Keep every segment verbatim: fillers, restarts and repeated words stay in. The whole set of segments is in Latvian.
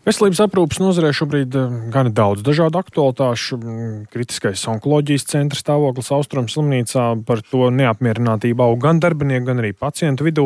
Veselības aprūpes nozarē šobrīd gan daudz dažādu aktualitāšu. Kritiskais onkoloģijas centra stāvoklis Austrumu slimnīcā, par to neapmierinātību aug gan darbinieku, gan arī pacientu vidū.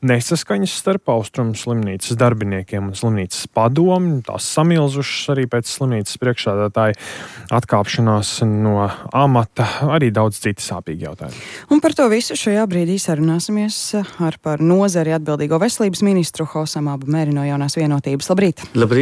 Nesaskaņas starp Austrumu slimnīcas darbiniekiem un slimnīcas padomi, tās samilzušas arī pēc slimnīcas priekšsēdētāja atkāpšanās no amata, arī daudz citi sāpīgi jautājumi. Un par to visu šajā brīdī sarunāsimies ar par nozari atbildīgo veselības ministru Hosam Abu Meri no Jaunās vienotības. Labrīt! Labrīt!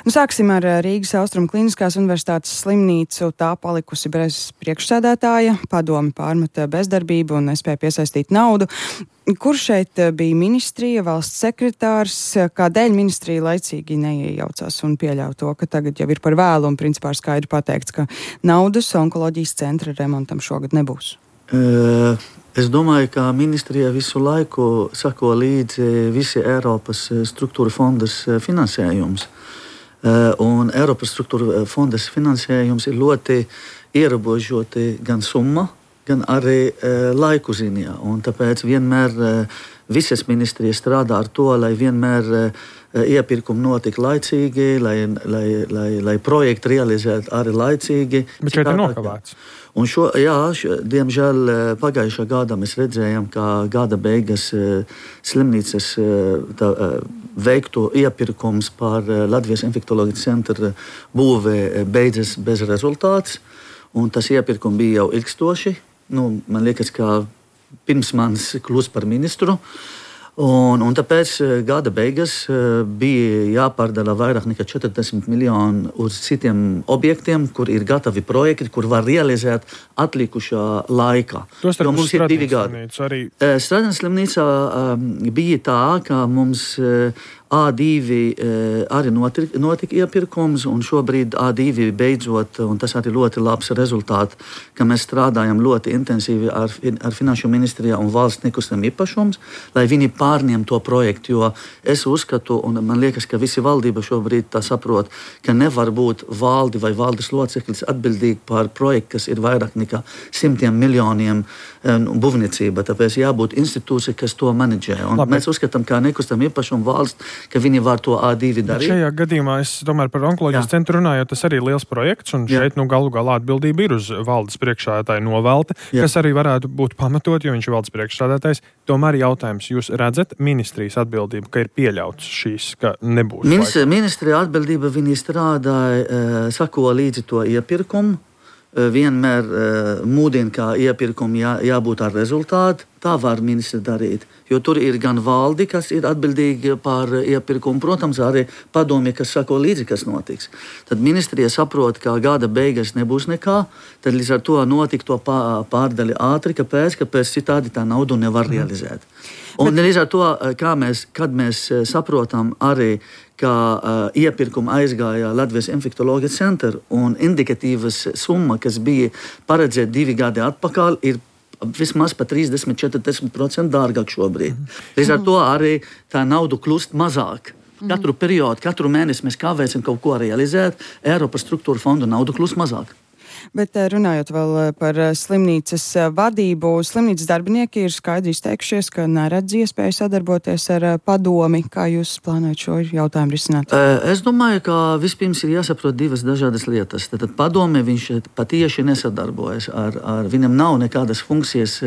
Nu, sāksim ar Rīgas Austrumu Kliniskās universitātes slimnīcu. Tā palikusi bez priekšsēdētāja, padomi pārmeta bezdarbību un nespēja piesaistīt naudu. Kur šeit bija ministrija, valsts sekretārs? Kādēļ ministrija laicīgi neiejaucās un pieļauj to, ka tagad jau ir par vēlu un principā ir skaidri pateikts, ka naudas onkoloģijas centra remontam šogad nebūs? Uh, es domāju, ka ministrija visu laiku sako līdzi visi Eiropas struktūra fondas finansējums. Uh, un Eiropas struktūra fondas finansējums ir ļoti ierobežoti gan summa, gan arī uh, laiku ziņā. Un tāpēc vienmēr uh, visas ministrijas strādā ar to, lai vienmēr uh, iepirkumi notika laicīgi, lai, lai, lai, lai projekti realizētu arī laicīgi. Bet šeit ir nokavēts. Un šo, jā, šo, diemžēl pagājušā gada mēs redzējām, ka gada beigas slimnīcas tā, veikto iepirkums par Latvijas infektoloģijas centra būvē beidzas bez rezultāts. Un tas iepirkums bija jau ilgstoši. Nu, man liekas, ka pirms manis kļūst par ministru. Un, un tāpēc gada beigas bija jāpārdala vairāk nekā četrdesmit miljoni uz citiem objektiem, kur ir gatavi projekti, kur var realizēt atlikušā laikā. Tos jo mums ir divi gadi. Arī... Strādienes slimnīcā bija tā, ka mums A divi arī notika, notika iepirkums, un šobrīd A divi beidzot, un tas arī ļoti labs rezultāts, ka mēs strādājam ļoti intensīvi ar, ar Finanšu ministrijā un valsts nekustam īpašums, lai viņi pārņem to projektu, jo es uzskatu, un man liekas, ka visi valdība šobrīd tā saprot, ka nevar būt valdi vai valdes loceklis atbildīgi par projektu, kas ir vairāk nekā simtiem miljoniem um, būvniecība, tāpēc jābūt institūcija, kas to menedžē. Un Labi. Mēs uzskatām, ka nekustam īpašumu valsts, ka viņi var to A divi darīt. Bet šajā gadījumā es tomēr par onkoloģijas Jā. centru runāju, tas arī ir liels projekts, un Jā. šeit nu galu galā atbildība ir uz valdes priekšsēdētāju novelti, Jā. kas arī varētu būt pamatot, jo viņš ir valdes priekšsēdētājs. Tomēr jautājums, jūs redzat ministrijas atbildību, ka ir pieļauts šīs, ka nebūs? Ministri, ministrija atbildība, viņi strādāja, sako līdzi to iepirkumu, vienmēr mūdina, kā iepirkumu jā, jābūt ar rezultātu. Tā var ministri darīt, jo tur ir gan valdi, kas ir atbildīgi par iepirkumu, protams, arī padomie, kas sako līdzi, kas notiks. Tad ministrija saprot, ka gada beigas nebūs nekā, tad līdz ar to notika to pārdali ātri, kāpēc, kāpēc citādi tā naudu nevar realizēt. Un Bet... līdz ar to, kā mēs, kad mēs saprotam arī, ka uh, iepirkuma aizgāja Latvijas infektoloģijas centra un indikatīvas summa, kas bija paredzēta divi gadi atpakaļ, ir vismaz pa trīsdesmit līdz četrdesmit procenti dārgāk šobrīd. Līdz ar to arī tā nauda kļūst mazāk. Katru periodu, katru mēnesi mēs kavēsim kaut ko realizēt, Eiropas struktūra fondu naudu kļūst mazāk. Bet runājot vēl par slimnīcas vadību, slimnīcas darbinieki ir skaidri izteikušies, ka neredz iespēju sadarboties ar padomi. Kā jūs plānojat šo jautājumu risināt? Es domāju, ka vispirms ir jāsaprot divas dažādas lietas. Tad padome viņš patieši nesadarbojas. Ar, ar, viņam nav nekādas funkcijas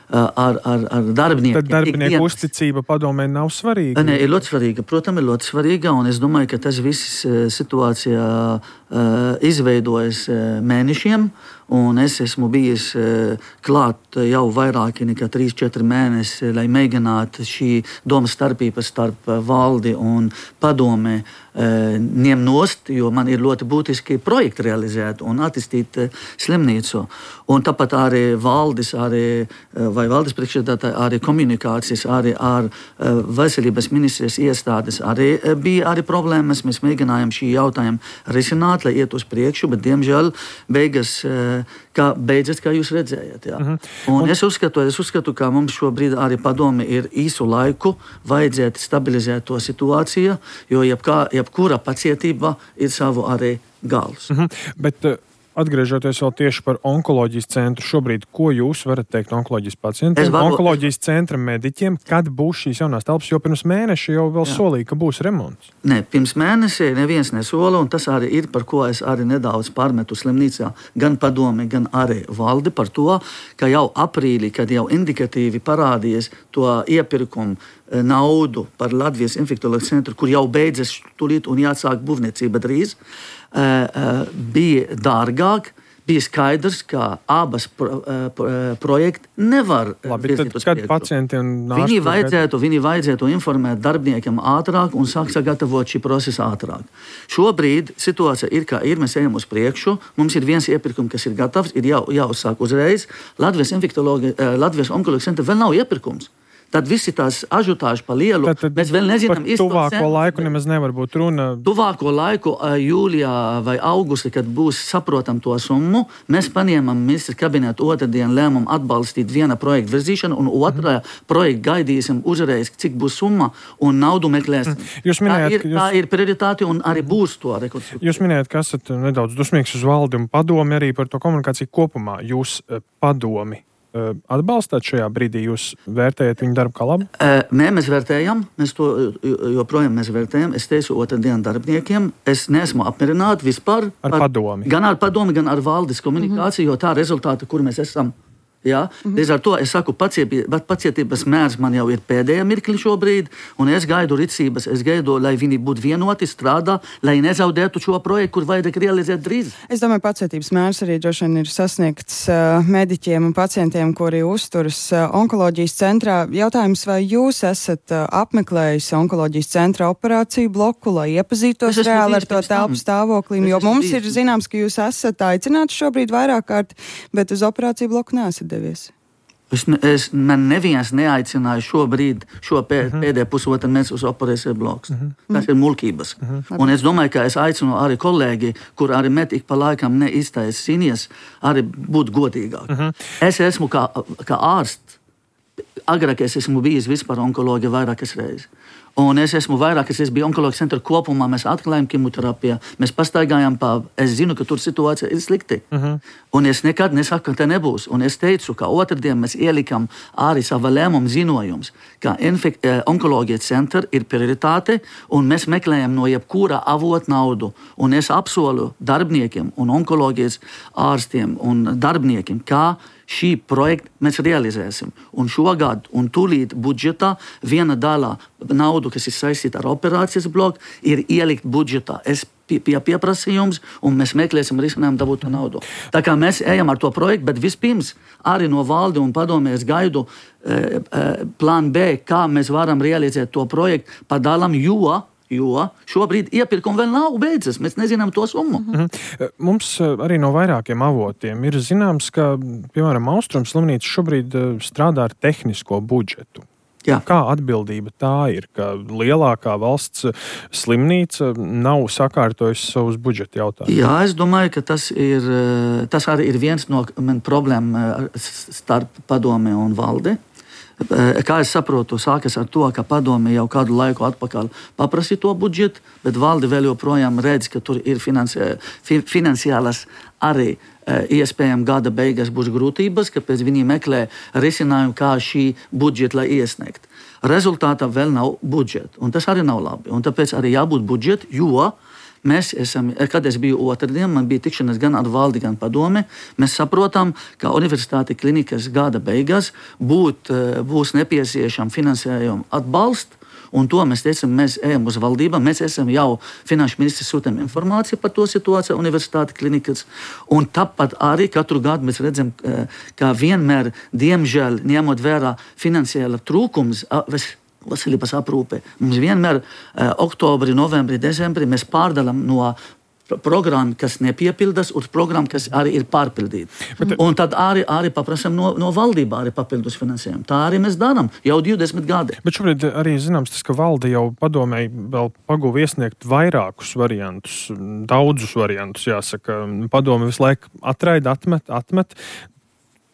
ar, ar, ar darbiniekiem. Tad darbinieku uzticība padomē nav svarīga? Ne, ir ļoti svarīga. Protams, ir ļoti svarīga, un es domāju, ka tas viss situācijā uh, izveidojas uh, mēnešiem, un es esmu bijis uh, klāt jau vairāki nekā trīs četri mēnesi, lai mēģinātu šī domas starpības starp valdi un padomē uh, ņem nost, jo man ir ļoti būtiski projekti realizēt un attīstīt uh, slimnīcu. Un tāpat arī valdes, arī, uh, vai valdes priekšsēdētāji, arī komunikācijas, arī ar uh, veselības ministrijas iestādes arī uh, bija arī problēmas. Mēs mēģinājām šī jautājumu risināt, lai iet uz priekšu, bet diemžēl beigas, uh, kā beidzas, kā jūs redzējat. Jā. Uh-huh. Un, un es uzskatu, es uzskatu, ka mums šobrīd arī padomi ir īsu laiku vajadzētu stabilizēt to situāciju, jo jebkā, jebkura pacietība ir savu arī gals. Uh-huh. Bet, uh... atgriežoties vēl tieši par onkoloģijas centru, šobrīd, ko jūs varat teikt onkoloģijas pacientiem, varu... onkoloģijas centra mediķiem, kad būs šīs jaunās telpas, jo pirms mēneša jau vēl Jā. solīja, ka būs remonts? Nē, pirms mēneša neviens nesola, un tas arī ir, par ko es arī nedaudz pārmetu slimnīcā, gan padomi, gan arī valdi par to, ka jau aprīlī, kad jau indikatīvi parādījies to iepirkumu naudu par Latvijas infektoloģijas centru, kur jau beidzas tūlīt un jāsāk būvniecība drīz, bija dārgāk, bija skaidrs, ka abas pro, pro, projekti nevar Labi, virzīt uz kad priekšu. pacientiem Viņi vajadzētu, viņi vajadzētu informēt darbiniekiem ātrāk un sāk sagatavot šī procesa ātrāk. Šobrīd situācija ir, kā ir, mēs ejam uz priekšu, mums ir viens iepirkums, kas ir gatavs, ir jau, jāuzsāk uzreiz. Latvijas infektoloģija, Latvijas onkoloģijas centra vēl nav iepirkums. Tad visi tās ažutāži pa lielu, tad, tad mēs vēl nezinām par tuvāko laiku nemaz nevar būt runa. Tuvāko laiku, jūlijā vai augustā, kad būs saprotam to summu, mēs paņēmam ministra kabinetu otrdien lēmumu atbalstīt viena projekta virzīšanu, un otrā mm. projekta gaidīsim uzreiz, cik būs summa, un naudu meklēsim. Jūs minējāt, tā, ir, jūs... tā ir prioritāte, un arī būs to rekonstrukcija. Jūs minējāt, ka esat nedaudz dusmīgs uz valdi un padomi arī par to komunikāciju kopumā. Jūs padomi atbalstāt šajā brīdī, jūs vērtējat viņu darbu kā labu? Nē, mēs vērtējam, mēs to joprojām mēs vērtējam. Es teicu otrdien darbiniekiem, es neesmu apmierināti vispār ar par, padomi. Gan ar padomi, gan ar valdes komunikāciju, mm-hmm. jo tā rezultāta, kur mēs esam. Ja? Mm-hmm. Līdz ar to es saku, pacietības, pacietības mērs man jau ir pēdējā mirkli šobrīd, un es gaidu rīcības, es gaidu, lai viņi būtu vienoti, strādā, lai nezaudētu šo projektu, kur vajag realizēt drīz. Es domāju, pacietības mērs arī droši vien ir sasniegts uh, mediķiem un pacientiem, kuri uzturas uh, onkoloģijas centrā. Jautājums, vai jūs esat uh, apmeklējis onkoloģijas centra operāciju bloku, lai iepazītos reāli ar to telpu stāvoklim, jo mums ir zināms, ka jūs esat aicināts šobrīd vairāk kārt, bet uz operāciju bloku neesat devies. Es, es, man neviens neaicināja šobrīd, šo pē, uh-huh. pēdējo pusotru mēnesi uz operāciju bloks. Uh-huh. Tas ir muļķības. Uh-huh. Un es domāju, ka es aicinu arī kolēģi, kur arī met ik pa laikam neiztaisīnies, arī būt godīgāk. Uh-huh. Es esmu kā, kā ārsts, agrāk es esmu bijis vispār onkoloģija vairākas reizes. Un es esmu vairāk, es biju onkoloģijas centra kopumā, mēs atklājām kemoterapiju, mēs pastaigājām pa, es zinu, ka tur situācija ir slikti. Uh-huh. Un es nekad nesaku, ka te nebūs. Un es teicu, ka otrdien mēs ielikam arī sava lēmuma ziņojums, ka infek- onkoloģijas centra ir prioritāte, un mēs meklējam no jebkura avota naudu. Un es apsolu darbiniekiem un onkoloģijas ārstiem un darbiniekiem, kā šī projekta mēs realizēsim. Un šogad un tūlīt budžetā viena daļa naudu, kas ir saistīta ar operācijas bloku, ir ielikt budžetā. Es pie, pie pieprasījums, un mēs meklēsim risinājumu dabūt to naudu. Tā kā mēs ejam ar to projektu, bet vispirms arī no valdi un padomēs gaidu e, e, plānu B, kā mēs varam realizēt to projektu pa dalam, jo Jo šobrīd iepirkumi vēl nav beidzas. Mēs nezinām to summu. Mm-hmm. Mums arī no vairākiem avotiem ir zināms, ka, piemēram, Austrums slimnīca šobrīd strādā ar tehnisko budžetu. Jā. Kā atbildība tā ir, ka lielākā valsts slimnīca nav sakārtojusi savus budžeta jautājumus? Jā, es domāju, ka tas, ir, tas arī ir viens no man problēmu starp padome un valdi. Kā es saprotu, sākas ar to, ka padome jau kādu laiku atpakaļ paprasīja to budžetu, bet valde vēl joprojām redz, ka tur ir finansi, finansiālas arī iespējams gada beigās būs grūtības, kāpēc viņi meklē risinājumu, kā šī budžeta lai iesniegt. Rezultātā vēl nav budžeta, un tas arī nav labi. Un tāpēc arī jābūt budžetu, jo mēs esam, kad es biju otrdien, man bija tikšanās gan ar valdi, gan padome, mēs saprotam, ka universitāte klinikas gada beigās būt, būs nepieciešama finansējuma atbalsts, un to mēs teicam, mēs ejam uz valdībām, mēs esam jau finanšu ministrs sūtām informāciju par to situāciju universitāte klinikas, un tāpat arī katru gadu mēs redzam, ka vienmēr, diemžēl, ņemot vērā finansiāla trūkums, veselības aprūpe. Mums vienmēr eh, oktobrī, novembrī, decembrī mēs pārdalām no programmu, kas nepiepildas, uz programmu, kas arī ir pārpildīta. Bet, un tad arī, arī paprasam no, no valdībā arī papildus finansējumu. Tā arī mēs darām jau divdesmit gadi. Bet šobrīd arī zināms tas, ka valde jau padomēji vēl paguva iesniegt vairākus variantus, daudzus variantus, jāsaka. Padome visu laiku atraida, atmet, atmet.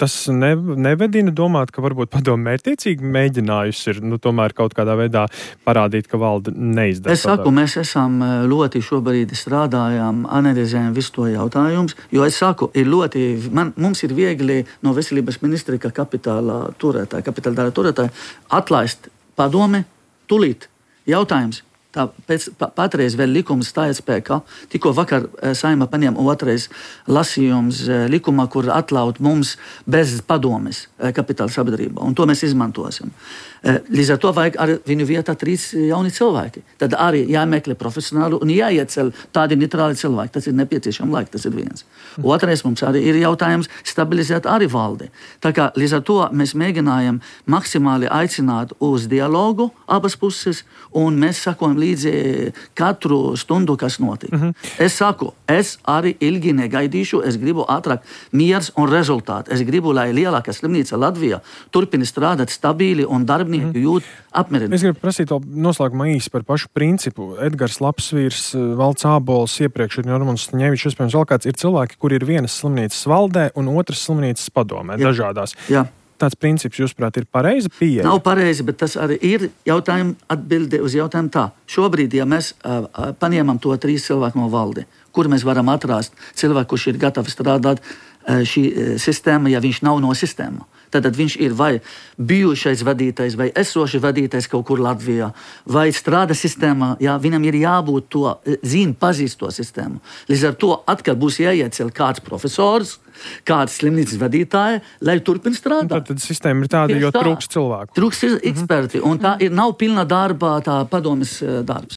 tas ne, nevedina domāt, ka varbūt padomu mērķtiecīgi mēģinājusi ir, nu, tomēr kaut kādā veidā parādīt, ka valde neizdara. Es saku, mēs esam ļoti šobrīd strādājām, analizējam visu to jautājumus, jo es saku, ir ļoti, man, mums ir viegli no veselības ministrija, ka kapitāla turētāja, kapitāla dara turētāja, atlaist padome, tulīt. Jautājums. Tā pēc, pa, patreiz vēl likums stājas spēkā. Tikko vakar Saeima paņēma otrais lasījums likumā, kur atļaut mums bez padomes kapitāla sabiedrībā. Un to mēs izmantosim. Līdz ar to vajag ar viņu vietā trīs jauni cilvēki. Tad arī jāmeklē profesionāli un jāiecel tādi neitrāli cilvēki. Tas ir nepieciešams laika, tas ir viens. Otrais mums arī ir jautājums stabilizēt arī valdi. Tā kā līdz ar to mēs mēģinājam maksimāli aicināt uz dialogu abas puses un mēs sakojam līdzi katru stundu, kas notiek. Mm -hmm. Es saku, es arī ilgi negaidīšu, es gribu ātrāk miers un rezultāti. Es gribu, lai lielākā slimnīca Latvijā turpina strādāt stabili un darbinieki mm-hmm. jūt apmierināti. Es gribu prasīt to noslēgumā īsi par pašu principu. Edgars Lapsvīrs, Valds Ābols, iepriekš ir Normons Staņevičs, vispirms vēl kāds ir cilvēki, kur ir vienas slimnīcas valdē un otras slimnīcas padomē, Jā. dažādās. Jā. Tāds princips, jūsuprāt, ir pareizi pieeja? Nav pareizi, bet tas arī ir jautājums atbilde uz jautājumu tā. Šobrīd, ja mēs uh, paņemam to trīs cilvēku no valdi, kur mēs varam atrast cilvēku, kurš ir gatavi strādāt uh, šī uh, sistēma, ja viņš nav no sistēma. Tad viņš ir vai bijušais vadītājs, vai esošais vadītājs kaut kur Latvijā, vai strādā sistēmā, jā, viņam ir jābūt to, zina, pazīst to sistēmu. Līdz ar to atkal būs jāiecel kāds profesors, kāds slimnīcas vadītāja, lai turpin strādāt. Tad, tad sistēma ir tāda, jo trūks cilvēku. Trūks eksperti, un tā ir nav pilna darba, tā padomes darbs.